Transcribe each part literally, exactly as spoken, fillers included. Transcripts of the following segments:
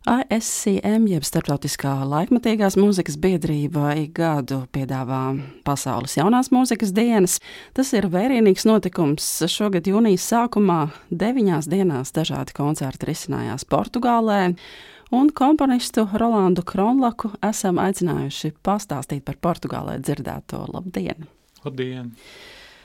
A S C M, jeb Starptautiskā laikmatīgās mūzikas biedrība, ik gadu piedāvā Pasaules jaunās mūzikas dienas. Tas ir vērienīgs notikums. Šogad jūnijas sākumā deviņās dienās dažādi koncerti risinājās Portugālē, un komponistu Rolandu Kronlaku esam aicinājuši pastāstīt par Portugālē dzirdēto. Labdien! Labdien!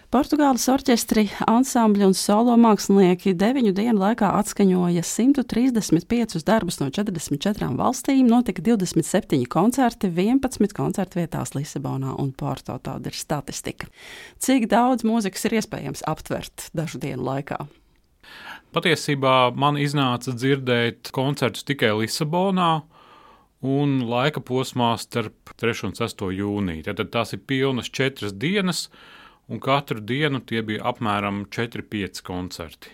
Portugāles orķestri, ansambļi un solo mākslinieki deviņu dienu laikā atskaņoja simt trīsdesmit piecus darbus no četrdesmit četrām valstīm, notika divdesmit septiņi koncerti, vienpadsmit koncertu vietās Lisabonā un Porto. Tāda ir statistika. Cik daudz mūzikas ir iespējams aptvert dažu dienu laikā? Patiesībā man iznāca dzirdēt koncertus tikai Lisabonā un laika posmā starp trešo un sesto jūniju. Tad tās ir pilnas četras dienas, un katru dienu tie bija apmēram četri pieci koncerti.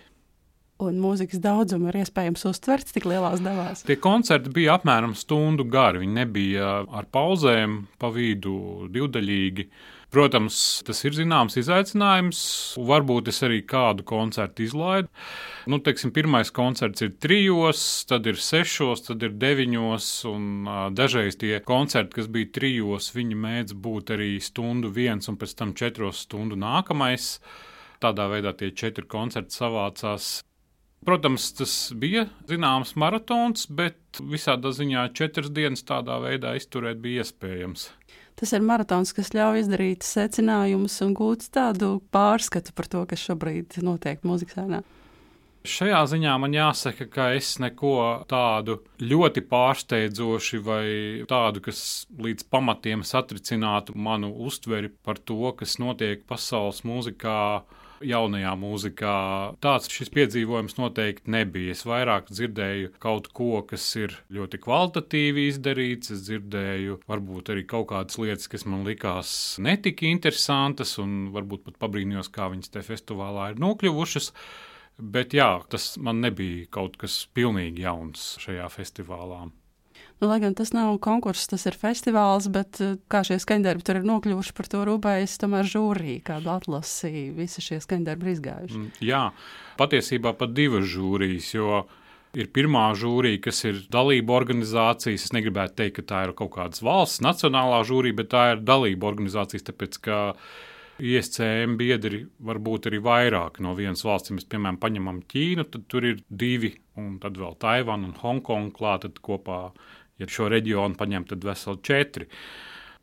Un mūzikas daudzumu ir iespējams uztvert tik lielās devās? Tie koncerti bija apmēram stundu gari, viņi nebija ar pauzēm, pa vidu divdaļīgi. Protams, tas ir zināms izaicinājums, varbūt es arī kādu koncertu izlaidu. Nu, teiksim, pirmais koncerts ir trijos, tad ir sešos, tad ir deviņos, un uh, dažreiz tie koncerti, kas bija trijos, viņi mēdz būt arī stundu viens un pēc tam četros stundu nākamais. Tādā veidā tie četri koncerti savācās. Protams, tas bija zināms maratons, bet visādā ziņā četras dienas tādā veidā izturēt bija iespējams. Tas ir maratons, kas ļauj izdarīt secinājumus un gūt tādu pārskatu par to, kas šobrīd notiek mūzikas scenā. Šajā ziņā man jāsaka, ka es neko tādu ļoti pārsteidzoši vai tādu, kas līdz pamatiem satricinātu manu uztveri par to, kas notiek pasaules mūzikā, jaunajā mūzikā. Tāds šis piedzīvojums noteikti nebija. Es vairāk dzirdēju kaut ko, kas ir ļoti kvalitatīvi izdarīts. Es dzirdēju varbūt arī kaut kādas lietas, kas man likās netika interesantas, un varbūt pat pabrīnījos, kā viņas te festivālā ir nokļuvušas. Bet jā, tas man nebija kaut kas pilnīgi jauns šajā festivālā. Nu, lai gan tas nav konkurss, tas ir festivāls, bet kā šie skaņdarbi tur ir nokļuvuši, par to rūpējas tomēr žūrī, kādu atlasi visi šie skaņdarbi ir izgājuši. Jā, patiesībā pat divas žūrijas, jo ir pirmā žūrija, kas ir dalība organizācijas. Es negribētu teikt, ka tā ir kaut kādas valsts nacionālā žūrija, bet tā ir dalība organizācijas, tāpēc, ka I S C M biedri var būt arī vairāk no vienas valsts. Ja mēs, piemēram, paņemam Ķīnu, tad tur ir divi, un tad vēl Taivana un Hongkonga klāt, tad kopā, ja šo reģionu paņem, tad veseli četri.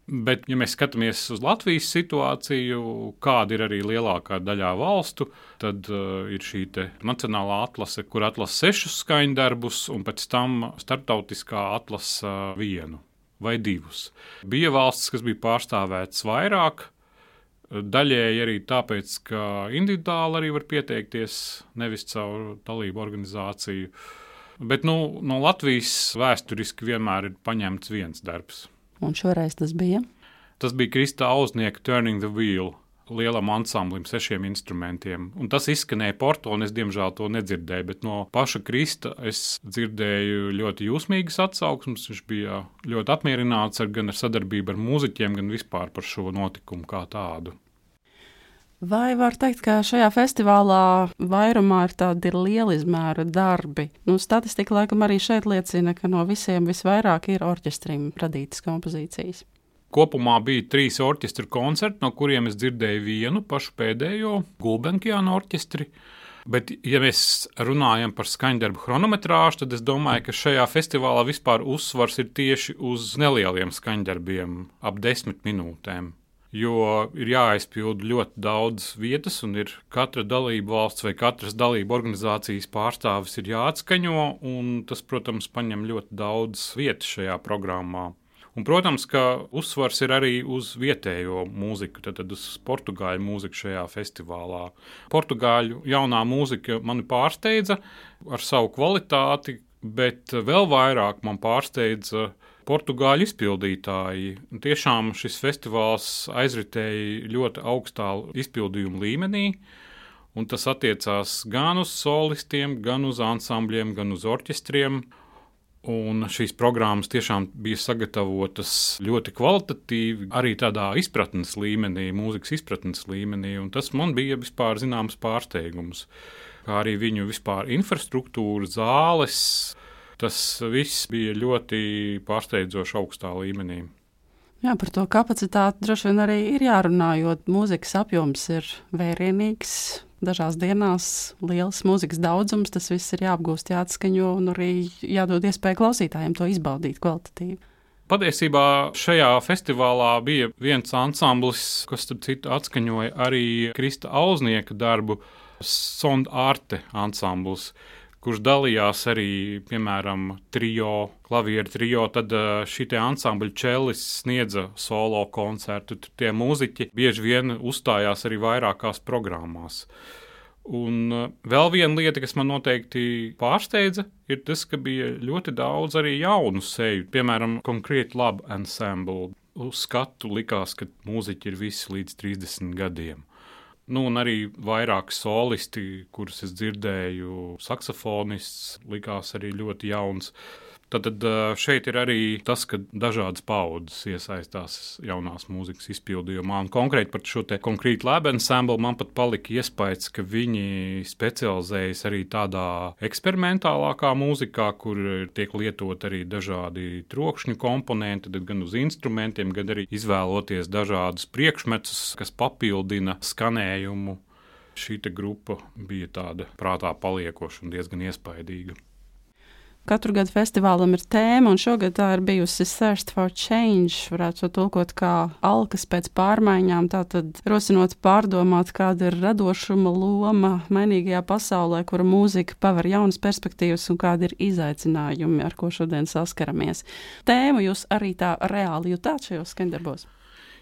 Bet, ja mēs skatāmies uz Latvijas situāciju, kāda ir arī lielākā daļā valstu, tad uh, ir šī te nacionālā atlase, kur atlasa sešus skaņdarbus, un pēc tam starptautiskā atlasa vienu vai divus. Bija valstis, kas bija pārstāvētas vairāk, daļēji arī tāpēc, ka individuāli arī var pieteikties, nevis caur dalību organizāciju. Bet nu, no Latvijas vēsturiski vienmēr ir paņemts viens darbs. Un šoreiz tas bija? Tas bija Krista Auznieka Turning the Wheel, lielam ansamblim, sešiem instrumentiem. Un tas izskanēja Porto, un es diemžēl to nedzirdēju, bet no paša Krista es dzirdēju ļoti jūsmīgas atsauksmes. Viņš bija ļoti apmierināts ar, gan ar sadarbību ar mūziķiem, gan vispār par šo notikumu kā tādu. Vai var teikt, ka šajā festivālā vairumā ir tādi lieli izmēra darbi? Nu, statistika laikam arī šeit liecina, ka no visiem visvairāk ir orķestrim radītas kompozīcijas. Kopumā bija trīs orķestra koncerti, no kuriem es dzirdēju vienu pašu pēdējo, Gulbenkiāna orķestri. Bet, ja mēs runājam par skaņdarbu chronometrāžu, tad es domāju, ka šajā festivālā vispār uzsvars ir tieši uz nelieliem skaņdarbiem, ap desmit minūtēm. Jo ir jāaizpild ļoti daudz vietas, un ir katra dalība valsts vai katras dalība organizācijas pārstāvis ir jāatskaņo, un tas, protams, paņem ļoti daudz vietas šajā programmā. Un, protams, ka uzsvars ir arī uz vietējo mūziku, tad, tad uz portugāļu mūziku šajā festivālā. Portugāļu jaunā mūzika mani pārsteidza ar savu kvalitāti, bet vēl vairāk man pārsteidza portugāļu izpildītāji. Tiešām šis festivāls aizritēja ļoti augstā izpildījuma līmenī, un tas attiecās gan uz solistiem, gan uz ansambļiem, gan uz orķestriem. Un šīs programmas tiešām bija sagatavotas ļoti kvalitatīvi, arī tādā izpratnes līmenī, mūzikas izpratnes līmenī, un tas man bija vispār zināms pārsteigums. Kā arī viņu vispār infrastruktūra, zāles, Tas viss bija ļoti pārsteidzoši augstā līmenī. Jā, par to kapacitāti droši vien arī ir jārunā, jo mūzikas apjoms ir vērienīgs. Dažās dienās liels mūzikas daudzums, tas viss ir jāapgūst, jāatskaņo un arī jādod iespēju klausītājiem to izbaudīt kvalitatīvi. Patiesībā šajā festivālā bija viens ansamblis, kas, starp citu, atskaņoja arī Krista Auznieka darbu, Sond Arte ansamblis, kurš dalījās arī, piemēram, trio, klavieru trio, tad šī te ansambļa čelis sniedza solo koncertu. Tie mūziķi bieži vien uzstājās arī vairākās programmās. Un vēl viena lieta, kas man noteikti pārsteidza, ir tas, ka bija ļoti daudz arī jaunu seju. Piemēram, Concrete Lab Ensemble. Uz skatu likās, ka mūziķi ir visi līdz trīsdesmit gadiem. Nu, un arī vairāki solisti, kurus es dzirdēju, saksofonists, likās arī ļoti jauns. Tad šeit ir arī tas, ka dažādas paudzes iesaistās jaunās mūzikas izpildījumā. Un konkrēti par šo te Concrete Lab Ensemble man pat palika iespējas, ka viņi specializējas arī tādā eksperimentālākā mūzikā, kur tiek lietot arī dažādi trokšņu komponenti, gan uz instrumentiem, gan arī izvēloties dažādus priekšmetus, kas papildina skanējumu. Šī te grupa bija tāda prātā paliekoša un diezgan iespaidīga. Katru gadu festivālam ir tēma, un šogad tā ir bijusi Thirst for Change, varētu to tulkot kā alkas pēc pārmaiņām, tātad rosinot pārdomāt, kāda ir radošuma loma mainīgajā pasaulē, kura mūzika paver jaunas perspektīvas un kādi ir izaicinājumi, ar ko šodien saskaramies. Tēmu jūs arī tā reāli jutāt šajos skandarbos?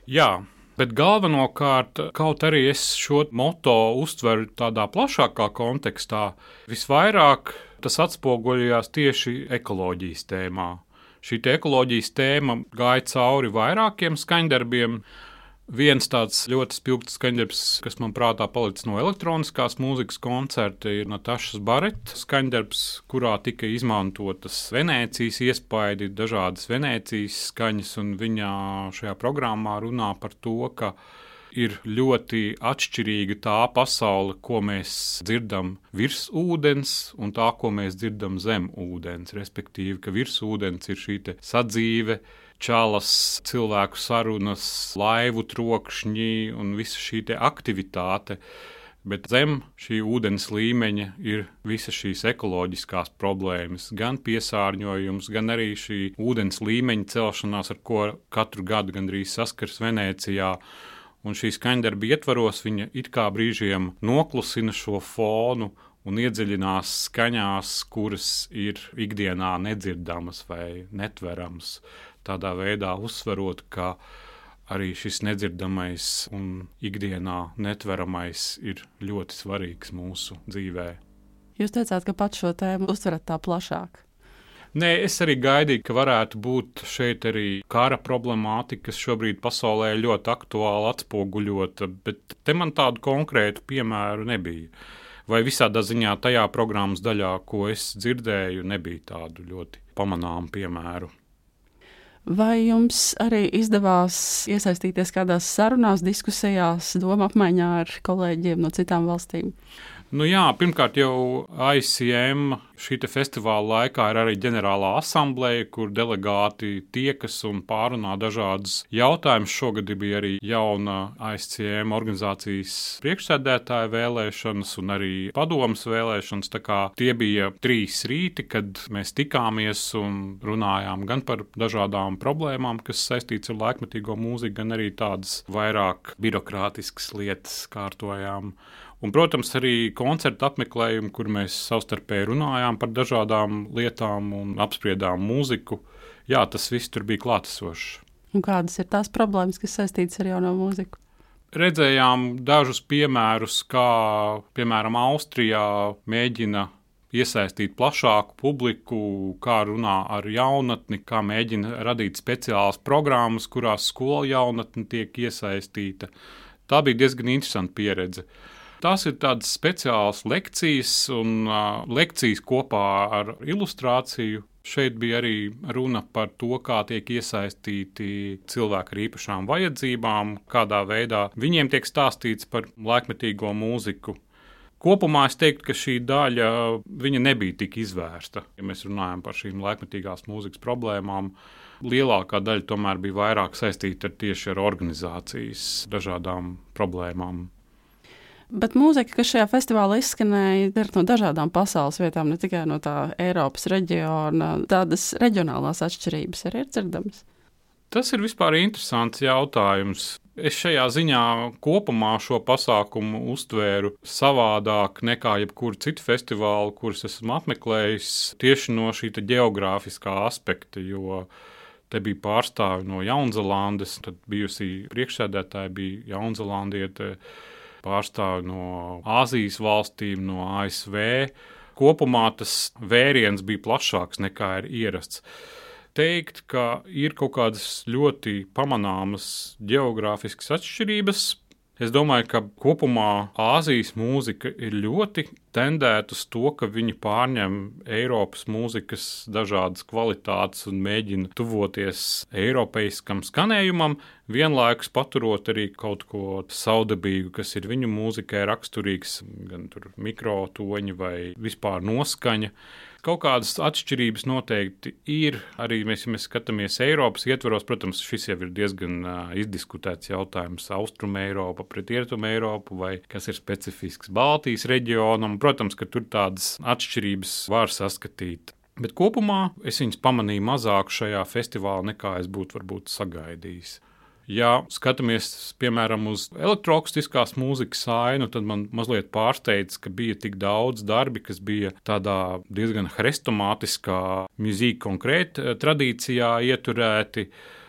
Jā. Bet galvenokārt, kaut arī es šo moto uztveru tādā plašākā kontekstā, visvairāk tas atspoguļojās tieši ekoloģijas tēmā. Šī te ekoloģijas tēma gāja cauri vairākiem skaņdarbiem. Viens tāds ļoti spilgts skaņdarbs, kas man prātā palicis no elektroniskās mūzikas koncerta, ir Natašas Bareta skaņdarbs, kurā tika izmantotas Venēcijas iespaidi, dažādas Venēcijas skaņas, un viņa šajā programmā runā par to, ka ir ļoti atšķirīga tā pasaule, ko mēs dzirdam virs ūdens, un tā, ko mēs dzirdam zem ūdens, respektīvi, ka virs ūdens ir šī te sadzīve, čalas, cilvēku sarunas, laivu trokšņi un visa šī te aktivitāte, bet zem šī ūdens līmeņa ir visas šīs ekoloģiskās problēmas, gan piesārņojums, gan arī šī ūdens līmeņa celšanās, ar ko katru gadu gandrīz saskars Venēcijā. Un šī skaņdarba ietvaros viņa it kā brīžiem noklusina šo fonu un iedziļinās skaņās, kuras ir ikdienā nedzirdamas vai netveramas. Tādā veidā uzsverot, ka arī šis nedzirdamais un ikdienā netveramais ir ļoti svarīgs mūsu dzīvē. Jūs teicāt, ka pat šo tēmu uztverat tā plašāk. Nē, es arī gaidīju, ka varētu būt šeit arī kara problemātika, kas šobrīd pasaulē ļoti aktuāli atspoguļota, bet te man tādu konkrētu piemēru nebija. Vai visādā ziņā tajā programmas daļā, ko es dzirdēju, nebija tādu ļoti pamanāmu piemēru. Vai jums arī izdevās iesaistīties kādās sarunās, diskusijās, doma apmaiņā ar kolēģiem no citām valstīm? Nu jā, pirmkārt jau I C M šī te festivāla laikā ir arī ģenerālā asambleja, kur delegāti tiekas un pārunā dažādas jautājumus. Šogad bija arī jauna I C M organizācijas priekšsēdētāja vēlēšanas un arī padomas vēlēšanas. Tā kā tie bija trīs rīti, kad mēs tikāmies un runājām gan par dažādām problēmām, kas saistīts ar laikmetīgo mūziku, gan arī tādas vairāk birokrātiskas lietas kārtojām. Un, protams, arī koncertu apmeklējumi, kur mēs savstarpēji runājām par dažādām lietām un apspriedām mūziku. Jā, tas viss tur bija klātesošs. Un kādas ir tās problēmas, kas saistītas ar jauno mūziku? Redzējām dažus piemērus, kā, piemēram, Austrijā mēģina iesaistīt plašāku publiku, kā runā ar jaunatni, kā mēģina radīt speciālas programmas, kurās skola jaunatni tiek iesaistīta. Tā bija diezgan interesanta pieredze. Tās ir tādas speciālas lekcijas un uh, lekcijas kopā ar ilustrāciju. Šeit bija arī runa par to, kā tiek iesaistīti cilvēki ar īpašām vajadzībām, kādā veidā viņiem tiek stāstīts par laikmetīgo mūziku. Kopumā es teiktu, ka šī daļa viņa nebija tik izvērsta. Ja mēs runājam par šīm laikmetīgās mūzikas problēmām, lielākā daļa tomēr bija vairāk saistīta ar tieši ar organizācijas dažādām problēmām. Bet mūzika, kas šajā festivālā izskanēja, ir no dažādām pasaules vietām, ne tikai no tā Eiropas reģiona. Tādas reģionālās atšķirības arī ir dzirdamas. Tas ir vispār interesants jautājums. Es šajā ziņā kopumā šo pasākumu uztvēru savādāk nekā jebkuru citu festivālu, kurus esmu apmeklējis, tieši no šī geogrāfiskā aspekta, jo te bija pārstāvi no Jaunzēlandes, tad bijusī priekšsēdētāja bija jaunzēlandiete, pārstāvi no Āzijas valstīm, no A S V. Kopumā tas vēriens bija plašāks nekā ir ierasts. Teikt, ka ir kaut kādas ļoti pamanāmas geogrāfiskas atšķirības. Es domāju, ka kopumā Āzijas mūzika ir ļoti tendēta uz to, ka viņi pārņem Eiropas mūzikas dažādas kvalitātes un mēģina tuvoties eiropeiskam skanējumam, vienlaikus paturot arī kaut ko saudabīgu, kas ir viņu mūzikai raksturīgs, gan tur mikrotoņi vai vispār noskaņa. Kaut kādas atšķirības noteikti ir. Arī mēs, ja mēs skatāmies Eiropas ietvaros, protams, šis jau ir diezgan uh, izdiskutēts jautājums Austrum Eiropa pret Rietum Eiropu vai kas ir specifisks Baltijas reģionam. Protams, ka tur tādas atšķirības var saskatīt. Bet kopumā es viņas pamanīju mazāk šajā festivālā, nekā es būtu varbūt sagaidījis. Ja skatāmies, piemēram, uz elektroakustiskās mūzikas ainu, tad man mazliet pārsteidz, ka bija tik daudz darbi, kas bija tādā diezgan hrestomātiskā mūzika konkrēta tradīcijā ieturēti.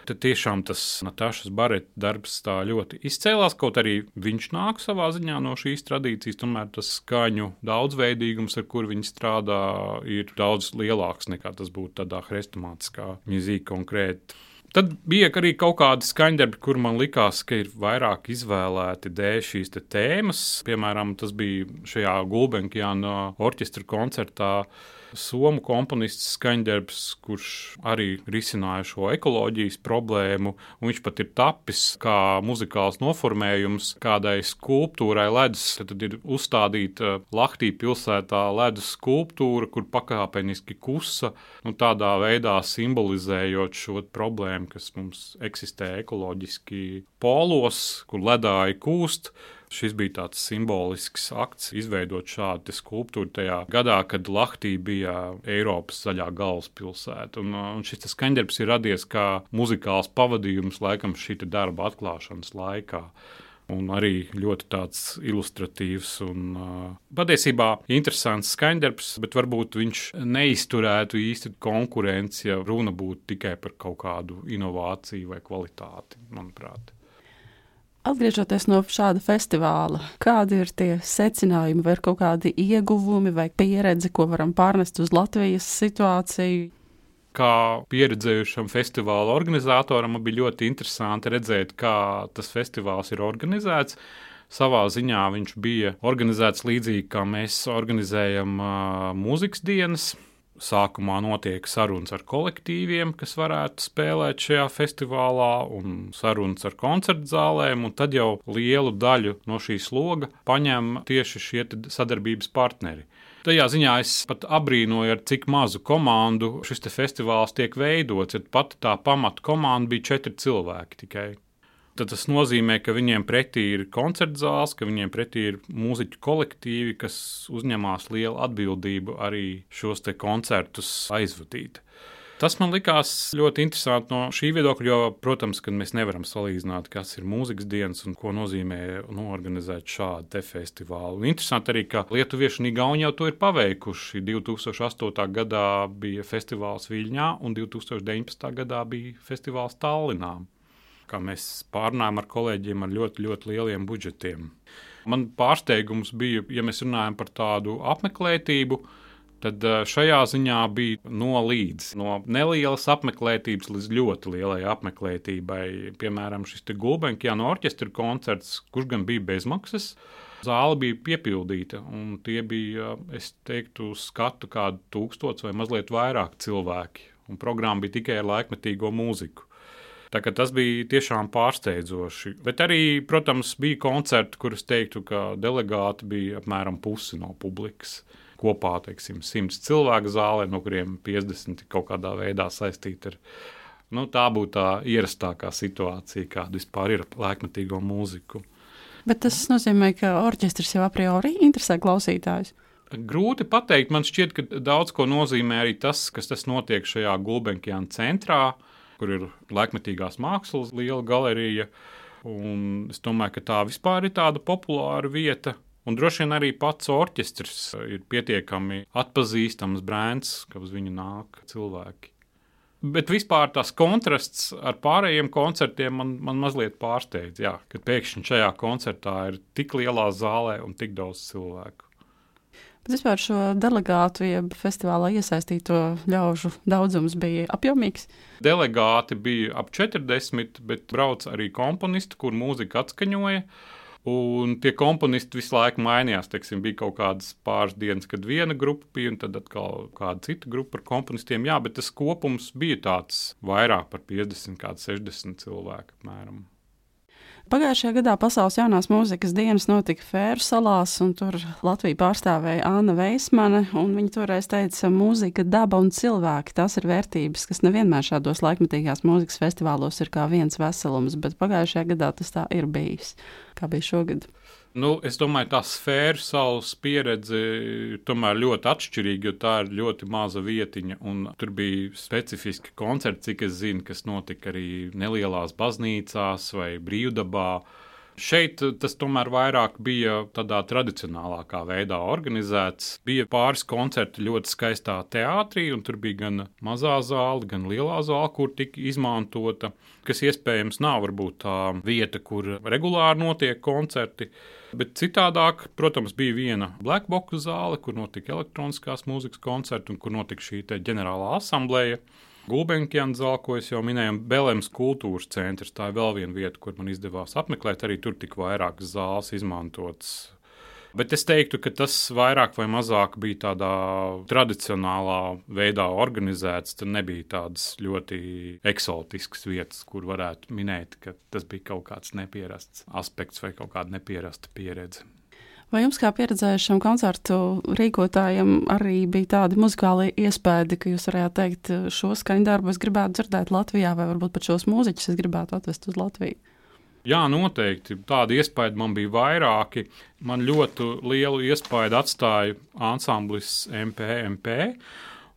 Tad tiešām tas Natašas Bareta darbs tā ļoti izcēlās, kaut arī viņš nāk savā ziņā no šīs tradīcijas, tomēr tas skaņu daudzveidīgums, ar kur viņi strādā, ir daudz lielāks nekā tas būtu tādā hrestomātiskā mūzika konkrēta. Tad bija arī kaut kādi skaņdarbi, kur man likās, ka ir vairāk izvēlēti dēļ šīs te tēmas. Piemēram, tas bija šajā Gulbenkiāna orķestra koncertā somu komponists skaņdarbs, kurš arī risināja šo ekoloģijas problēmu. Viņš pat ir tapis kā muzikāls noformējums kādai skulptūrai ledus. Tad ir uzstādīta Lahtī pilsētā ledus skulptūra, kur pakāpeniski kusa, nu, tādā veidā simbolizējot šo problēmu, kas mums eksistē ekoloģiski polos, kur ledāji kūst. Šis bija tāds simbolisks akts, izveidot šādu skulptūru tajā gadā, kad Lahtī bija Eiropas zaļā galvaspilsēta. Un, un šis skaņdarbs ir radies kā muzikāls pavadījums laikam šī darba atklāšanas laikā. Un arī ļoti tāds ilustratīvs un uh, patiesībā interesants skaņdarbs, bet varbūt viņš neizturētu īsti konkurenci, ja runa būtu tikai par kaut kādu inovāciju vai kvalitāti, manuprāt. Atgriežoties no šāda festivāla, kādi ir tie secinājumi, vai ir kaut kādi ieguvumi vai pieredze, ko varam pārnest uz Latvijas situāciju? Kā pieredzējušam festivāla organizatoram, man bija ļoti interesanti redzēt, kā tas festivāls ir organizēts. Savā ziņā viņš bija organizēts līdzīgi, kā mēs organizējam uh, mūzikas dienas. Sākumā notiek sarunas ar kolektīviem, kas varētu spēlēt šajā festivālā, un sarunas ar koncertu zālēm, un tad jau lielu daļu no šīs loga paņem tieši šie sadarbības partneri. Tajā ziņā es pat abrīnoju, ar cik mazu komandu šis te festivāls tiek veidots, ja pat tā pamata komanda bija četri cilvēki tikai. Tad tas nozīmē, ka viņiem pretī ir koncertu zāles, ka viņiem pretī ir mūziķu kolektīvi, kas uzņemās lielu atbildību arī šos te koncertus aizvadīt. Tas man likās ļoti interesanti no šī viedokļa, jo, protams, ka mēs nevaram salīdzināt, kas ir mūzikas dienas un ko nozīmē norganizēt šādu te festivālu. Un interesanti arī, ka lietuvieši un igauni jau to ir paveikuši. divi tūkstoši astotā gadā bija festivāls Viļņā un divi tūkstoši deviņpadsmitā gadā bija festivāls Tallinā. Kā mēs pārnājām ar kolēģiem ar ļoti, ļoti lieliem budžetiem. Man pārsteigums bija, ja mēs runājam par tādu apmeklētību, tad šajā ziņā bija no līdz, no nelielas apmeklētības līdz ļoti lielai apmeklētībai. Piemēram, šis te Gulbenkiāna orķestra koncerts, kurš gan bija bezmaksas, zāle bija piepildīta, un tie bija, es teiktu, uz skatu kādu tūkstots vai mazliet vairāk cilvēki, un programma bija tikai ar laikmetīgo mūziku. Tā kā tas bija tiešām pārsteidzoši. Bet arī, protams, bija koncerti, kurus teiktu, ka delegāti bija apmēram pusi no publikas. Kopā, teiksim, simts cilvēku zālē, no kuriem piecdesmit kaut kādā veidā saistīti ar. Nu, tā būtu tā ierastākā situācija, kāda vispār ir laikmetīgo mūziku. Bet tas nozīmē, ka orķestris jau a priori interesē klausītājus. Grūti pateikt. Man šķiet, ka daudz ko nozīmē arī tas, kas tas notiek šajā Gulbenkiāna centrā, kur ir laikmetīgās mākslas liela galerija. Un es domāju, ka tā vispār ir tāda populāra vieta. Un droši vien arī pats orķestris ir pietiekami atpazīstams brands, ka uz viņu nāk cilvēki. Bet vispār tas kontrasts ar pārējiem koncertiem man, man mazliet pārsteidz, jā, ka pēkšņi šajā koncertā ir tik lielā zālē un tik daudz cilvēku. Bet vispār šo delegātu, jeb festivālā iesaistīto ļaužu daudzums bija apjomīgs? Delegāti bija ap četrdesmit, bet brauc arī komponisti, kur mūzika atskaņoja. Un tie komponisti visu laiku mainījās. Teiksim, bija kaut kādas pāris dienas, kad viena grupa bija, un tad atkal kāda cita grupa ar komponistiem. Jā, bet tas kopums bija tāds vairāk par piecdesmit, kāds sešdesmit cilvēku apmēram. Pagājušajā gadā Pasaules jaunās mūzikas dienas notika Fēru salās, un tur Latviju pārstāvēja Anna Veismane, un viņa toreiz teica, mūzika, daba un cilvēki, tās ir vērtības, kas nevienmēr šādos laikmetīgās mūzikas festivālos ir kā viens veselums, bet pagājušajā gadā tas tā ir bijis. Kā bija šogad? Nu, es domāju, tā Fēru salas pieredze ir tomēr ļoti atšķirīga, jo tā ir ļoti maza vietiņa, un tur bija specifiski koncerti, cik es zinu, kas notika arī nelielās baznīcās vai brīvdabā. Šeit tas tomēr vairāk bija tādā tradicionālākā veidā organizēts. Bija pāris koncerti ļoti skaistā teātrī, un tur bija gan mazā zāle, gan lielā zāle, kur tika izmantota, kas iespējams nav varbūt tā vieta, kur regulāri notiek koncerti. Bet citādāk, protams, bija viena Black Box zāle, kur notika elektroniskās mūzikas koncerti un kur notika šī te ģenerālā asambleja. Gulbenkiāna zāle, ko es jau minēju, un Belems kultūras centrs. Tā ir vēl viena vieta, kur man izdevās apmeklēt. Arī tur tika vairākas zāles izmantotas. Bet es teiktu, ka tas vairāk vai mazāk bija tādā tradicionālā veidā organizēts. Tur nebija tādas ļoti eksotiskas vietas, kur varētu minēt, ka tas bija kaut kāds nepierasts aspekts vai kaut kāda nepierasta pieredze. Vai jums kā pieredzējušam koncertu rīkotājam arī bija tādi muzikāli iespēdi, ka jūs varētu teikt, šo skaņdarbu es gribētu dzirdēt Latvijā, vai varbūt pat šos mūziķus es gribētu atvest uz Latviju? Jā, noteikti. Tādi iespējas man bija vairāki. Man ļoti lielu iespēju atstāja ansamblis M P M P.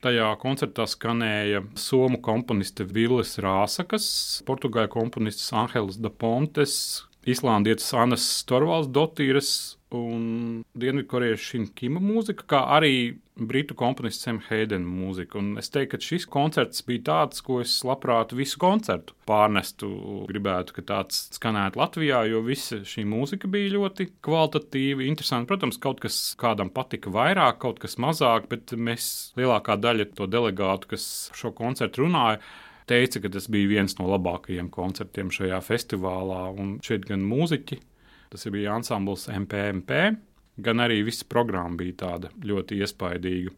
Tajā koncertā skanēja somu komponiste Villes Rāsakas, portugāļu komponistes Anhelis da Pontes, islandietis Annas Storvaldsdottīres un dienvidkoriešu Shin Kima mūzika, kā arī britu komponists Sam Hayden mūzika. Un es teiktu, ka šis koncerts bija tāds, ko es labprāt visu koncertu pārnestu. Gribētu, ka tāds skanētu Latvijā, jo visa šī mūzika bija ļoti kvalitatīva, interesanti. Protams, kaut kas kādam patika vairāk, kaut kas mazāk, bet mēs lielākā daļa to delegātu, kas šo koncertu runāja, teica, ka tas bija viens no labākajiem koncertiem šajā festivālā. Un šeit gan mūziķi, tas bija ansambls M P M P, gan arī visa programma bija tāda ļoti iespaidīga.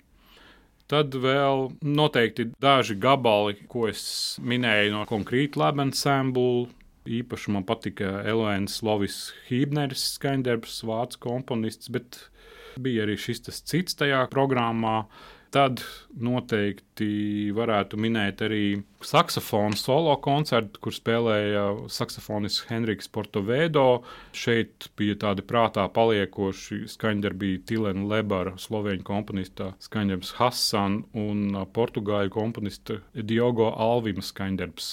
Tad vēl noteikti daži gabali, ko es minēju no Concrete Lab Ensemble. Īpaši man patika Elēns Lovis Hībneris, skaņdarbs, vācu komponists, bet bija arī šis tas cits tajā programmā. Tad noteikti varētu minēt arī saksofonu solo koncertu, kur spēlēja saksofonists Henriks Portovedo. Šeit bija tādi prātā paliekoši skaņdarbi Tilena Lebara, slovēņu komponista skaņdarbs Hassan un portugāļu komponista Diogo Alvima skaņdarbs,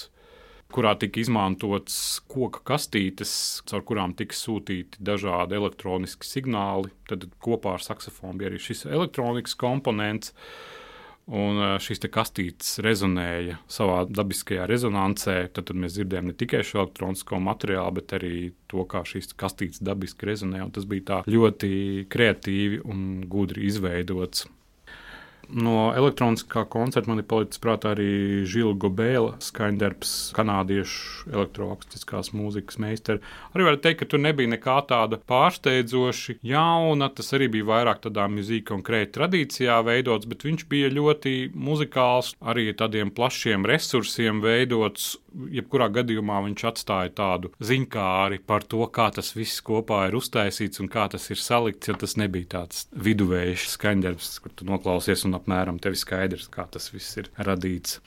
kurā tika izmantots koka kastītes, caur kurām tika sūtīti dažādi elektroniski signāli. Tad kopā ar saksofonu bija arī šis elektronikas komponents, un šīs te kastītes rezonēja savā dabiskajā rezonansē. Tad, tad mēs dzirdējām ne tikai šo elektronisko materiālu, bet arī to, kā šīs kastītes dabiski rezonē, un tas bija tā ļoti kreatīvi un gudri izveidots. No elektroniskā koncerta man ir palicis prātā arī Žila Gobēla skaņdarbs, kanādiešu elektroakustiskās mūzikas meistari. Arī var teikt, ka tur nebija nekā tāda pārsteidzoši jauna, tas arī bija vairāk tādā mūzika un krēta tradīcijā veidots, bet viņš bija ļoti muzikāls, arī tādiem plašiem resursiem veidots, jebkurā gadījumā viņš atstāja tādu ziņkāri par to, kā tas viss kopā ir uztaisīts un kā tas ir salikts, jo tas nebija tāds viduvējs skaņdarbs, kur tu noklausies un apmēram tev skaidrs, kā tas viss ir radīts.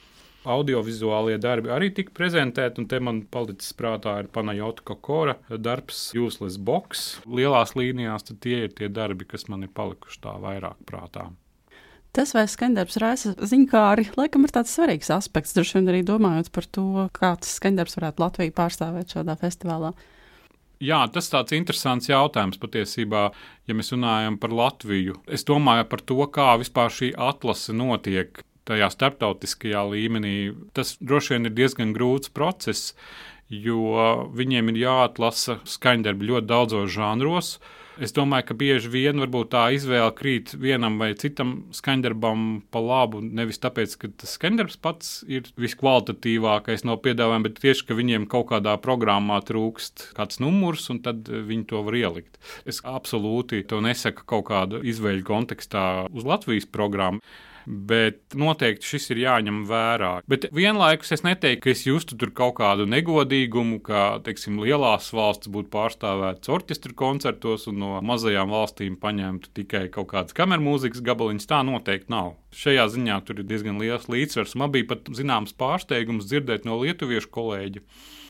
Audiovizuālie darbi arī tika prezentēti, un te man palicis prātā ir Panajota Kokora darbs Useless Box. Lielās līnijās tad tie ir tie darbi, kas man ir palikuši tā vairāk prātā. Tas, vai skaņdarbs raisa ziņkāri, laikam ir tāds svarīgs aspekts, droši vien arī domājot par to, kā tas skaņdarbs varētu Latviju pārstāvēt šādā festivālā. Jā, tas tāds interesants jautājums patiesībā, ja mēs runājam par Latviju. Es domāju par to, kā vispār šī atlase notiek tajā starptautiskajā līmenī. Tas droši vien ir diezgan grūts process, jo viņiem ir jāatlasa skaņdarbi ļoti daudzos žanros. Es domāju, ka bieži vien varbūt tā izvēle krīt vienam vai citam skaņdarbam pa labu, nevis tāpēc, ka tas skaņdarbs pats ir viskvalitatīvākais no piedāvājuma, bet tieši, ka viņiem kaut kādā programmā trūkst kāds numurs, un tad viņi to var ielikt. Es absolūti to nesaku kaut kādu izvēļu kontekstā uz Latvijas programmu, bet noteikti šis ir jāņem vērā. Bet vienlaikus es neteiktu, ka es justu tur kaut kādu negodīgumu, ka, teiksim, lielās valsts būtu pārstāvētas orķestra koncertos un no mazajām valstīm paņemtu tikai kaut kādas kamermūzikas gabaliņas. Tā noteikti nav. Šajā ziņā tur ir diezgan liels līdzsvars. Man bija pat zināms pārsteigums dzirdēt no lietuviešu kolēģa,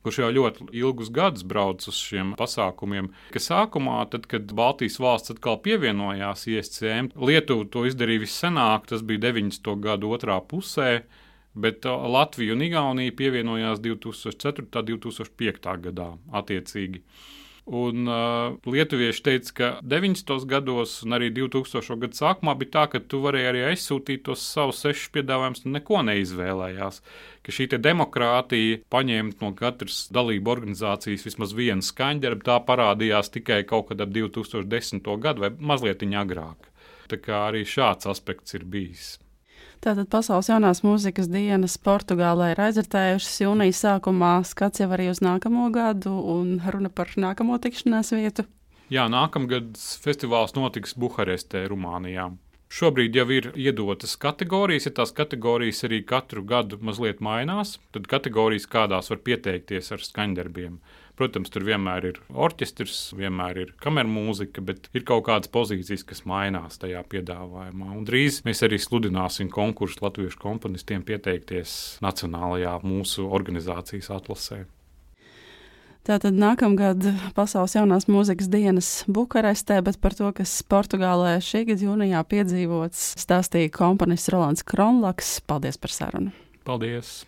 kurš jau ļoti ilgus gadus brauc uz šiem pasākumiem, ka sākumā, tad, kad Baltijas valsts atkal pievienojās I S C M, Lietuva to izdarīja vissenāk, tas bija deviņdesmito gadu otrā pusē, bet Latvija un Igaunija pievienojās divi tūkstoši ceturtā un divi tūkstoši piektā gadā attiecīgi. Un uh, lietuvieši teica, ka deviņdesmitos gados un arī divtūkstošo gadu sākumā bija tā, ka tu varēji arī aizsūtīt tos savus sešus piedāvājumus un neko neizvēlējās. Ka šī te demokrātija paņemt no katras dalību organizācijas vismaz vienu skaņdarbu, tā parādījās tikai kaut kad ap divi tūkstoši desmito gadu vai mazliet agrāk. Tā kā arī šāds aspekts ir bijis. Tātad Pasaules jaunās mūzikas dienas Portugālē ir aizvērtējušas jūnija sākumā, skats jau arī uz nākamo gadu un runa par nākamo tikšanās vietu. Jā, nākamgad festivāls notiks Buharestē, Rumānijā. Šobrīd jau ir iedotas kategorijas, ja tās kategorijas arī katru gadu mazliet mainās, tad kategorijas kādās var pieteikties ar skaņdarbiem. Protams, tur vienmēr ir orķestrs, vienmēr ir kamermūzika, bet ir kaut kādas pozīcijas, kas mainās tajā piedāvājumā. Un drīz mēs arī sludināsim konkursu latviešu komponistiem pieteikties nacionālajā mūsu organizācijas atlasē. Tātad nākamgad Pasaules jaunās mūzikas dienas Bukarestē, bet par to, kas Portugālē šī gada jūnijā piedzīvots, stāstīja komponists Rolands Kronlaks. Paldies par sarunu! Paldies!